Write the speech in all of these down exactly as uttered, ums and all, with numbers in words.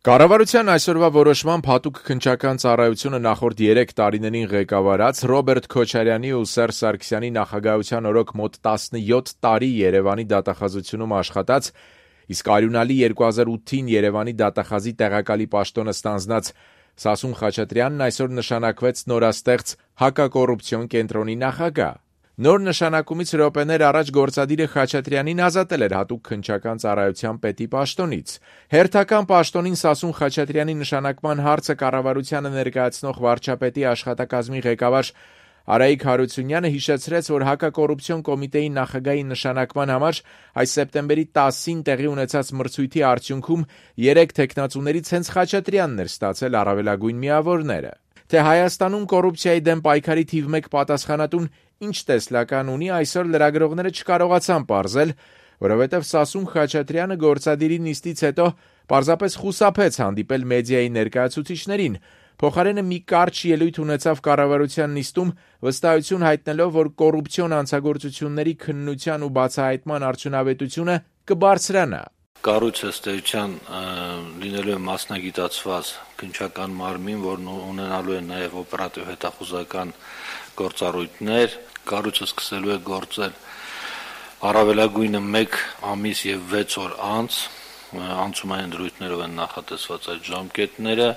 Կառավարության այսօրվա որոշմամբ հատուկ քննչական ծառայությունը նախորդ երեք տարիներին ղեկավարած Ռոբերտ Քոչարյանի ու Սերժ Սարգսյանի նախագահության օրոք մոտ տասնյոթ տարի Երևանի դատախազությունում աշխատած, իսկ արյունալի երկու հազար ութին Երևանի դատախազի տեղակալի պաշտոնը ստանձնած Սասուն Խաչատրյանն այսօր նշանակվեց նորաստեղծ հակակոռուպցիոն կենտրոնի նախագահ։ Նոր նշանակումից րոպեներ առաջ գործադիրը Խաչատրյանին ազատել էր հատուկ քննչական ծառայության պետի պաշտոնից։ Հերթական պաշտոնին Սասուն Խաչատրյանի նշանակման հարցը կառավարությանը ներկայացնող վարչապետի աշխատակազմի ղեկավար Արայիկ Հարությունյանը հիշեցրեց, որ հակակոռուպցիոն կոմիտեի նախագահի նշանակման համար այս սեպտեմբերի տասին տեղի ունեցած մրցույթի արդյունքում երեք թեկնածուներից հենց Խաչատրյանն էր ստացել առավելագույն միավորները։ Թե Հայաստանում կոռուպցիայի դեմ պայքարի թիվ մեկ պատասխանատուն ինչ տեսլական ունի, այսօր լրագրողները չկարողացան պարզել, որովհետև Սասուն Խաչատրյանը գործադիրի նիստից հետո պարզապես խուսափեց հանդիպել մեդիայի ներկայացուցիչներին, փոխարենը մի կարճ ելույթ ունեցավ կառավարության նիստում, վստահություն հայտնելով, որ կոռուպցիոն հանցագործությունների քննության ու բացահայտման արդյունավետությունը կբարձրանա։ Կառույց ըստ էության լինելու է մասնագիտացված քննչական մարմին, որն ունենալու է նաև օպերատիվ հետախուզական գործառույթներ, կառույցը սկսելու է գործել առավելագույնը մեկ ամիս եւ վեց օր անց, անցումային դրույթներով են նախատեսված այդ ժամկետները,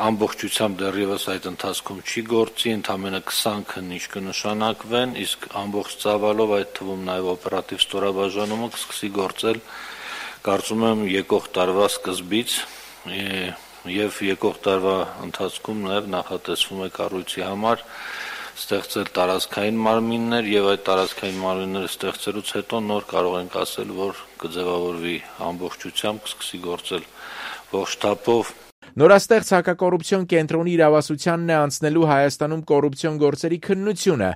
ամբողջությամբ դեռևս այդ ընթացքում չի գործի, ընդամենը քսան քննիչ կնշանակվեն, իսկ ամբողջ ծավալով այդ թվում նաև օպերատիվ ստորաբաժանումը կսկսի գործել, կարծում եմ եկող տարվա սկզբից եւ եկող տարվա ընթացքում նաև նախատեսվում է կառույցի համար ստեղծել տարածքային մարմիններ եւ այդ տարածքային մարմինները ստեղծելուց հետո նոր կարող ենք ասել, որ կձևավորվի ամբողջությամբ, կսկսի գործել ողջ թափով։ Նորաստեղծ հակակոռուպցիոն կենտրոնի իրավասությանն է անցնելու Հայաստանում կոռուպցիոն գործերի քննությունը,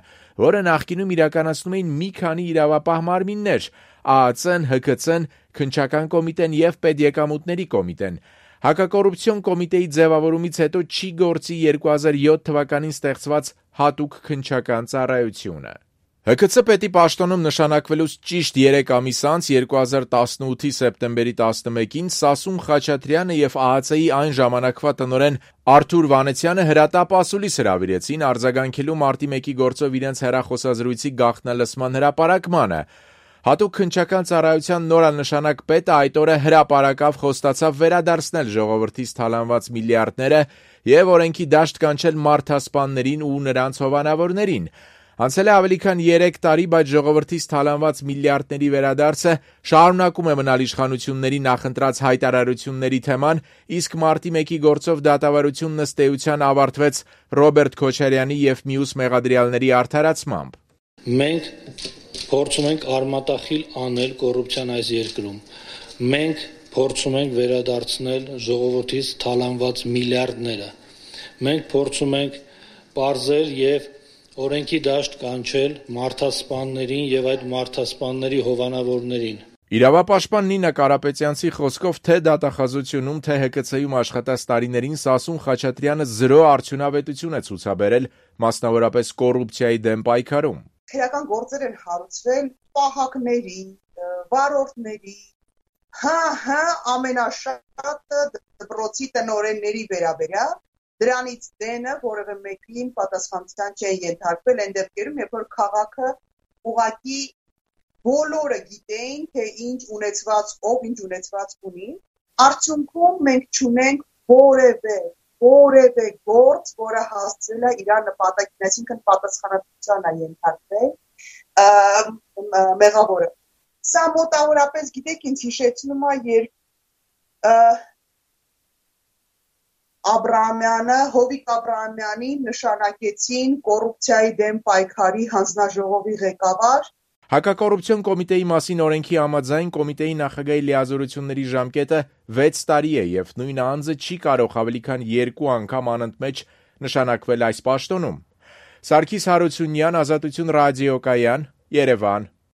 որը նախկինում իրականացնում էին մի քանի իրավապահ մարմիններ՝ ԱԱԾ-ն, ՀՔՑ-ն, Քննչական կոմիտեն եւ Պետեկամուտների կոմիտեն։ Հակակոռուպցիոն կոմիտեի ձևավորումից հետո չի գործի երկու հազար յոթ թվականին ստեղծված հատուկ քննչական ծառայությունը։ ՀՔՑ պետի պաշտոնում նշանակվելուց ճիշտ երեք ամիս անց երկու հազար տասնութի սեպտեմբերի տասնմեկին Սասուն Խաչատրյանը եւ ԱԱԾ-ի այն ժամանակվա տնօրեն Արթուր Վանեցյանը հրատապ ասուլիս հրավիրեցին արձագանքելու մարտի մեկի գործով իրենց հեռախոսազրույցի գաղտնալսման հրապարակմանը։ Հատուկ քննչական ծառայության նորանշանակ պետը այդ օրը հրապարակավ խոստացավ վերադարձնել ժողովրդից թալանված միլիարդները եւ օրենքի դաշտ կանչել մարդասպաններին ու նրանց հովանավորներին։ Անցել է ավելի քան երեք տարի, բայց ժողովրդից թալանված միլիարդների վերադարձը շարունակում է մնալ իշխանությունների նախընտրած հայտարարությունների թեման, իսկ մարտի մեկի գործով դատավարությունն ըստ էության ավարտվեց Ռոբերտ Քոչարյանի եւ մյուս մեղադրյալների արդարացմամբ։ Մենք փորձում ենք արմատախիլ անել կոռուպցիան այս երկրում։ Մենք փորձում ենք վերադարձնել ժողովրդից թալանված միլիարդները։ Մենք փորձում ենք պարզել եւ օրենքի դաշտ կանչել մարդասպաններին եւ այդ մարդասպանների հովանավորներին։ Իրավապաշտպան Նինա Կարապետյանցի խոսքով թե դատախազությունում, թե ՀԿՑ-ում աշխատած տարիներին Սասուն Խաչատրյանը զրո արդյունավետություն է ցուցաբերել, մասնավորապես կոռուպցիայի դեմ պայքարում։ Քրեական գործեր են հարուցվել պահակների, վարորդների, հա, հա, ամենաշատը դպրոցի տնօրենների վերաբերյալ, դրանից դենը որևէ մեկին պատասխանատվության չեն ենթարկվել այն դեպքերում, երբ որ քաղաքը ուղղակի բոլորը գիտեին, թե ինչ ունեցված, ով ինչ ունեցված ունի, արդյունքում մենք չունենք որևէ որևէ գործ, որը հասցրել է իր նպատակին, այսինքն պատասխանատվության է ենթարկվել մեղավորը։ Սա մոտավորապես, գիտեք, ինձ հիշեցնում է, երբ Աբրահամյանը, Հովիկ Աբրահամյանին նշանակեցին կոռուպցիայի դեմ պայքարի հանձնաժողովի ղեկավար։ Հակակոռուպցիոն կոմիտեի մասին օրենքի համաձայն կոմիտեի նախագահի լիազորությունների ժամկետը վեց տարի է եւ նույն անձը չի կարող ավելի քան երկու անգամ անընդմեջ նշանակվել այս պաշտոնում։ Սարգիս Հարությունյան, Ազատություն ռադիոկայան, Երևան։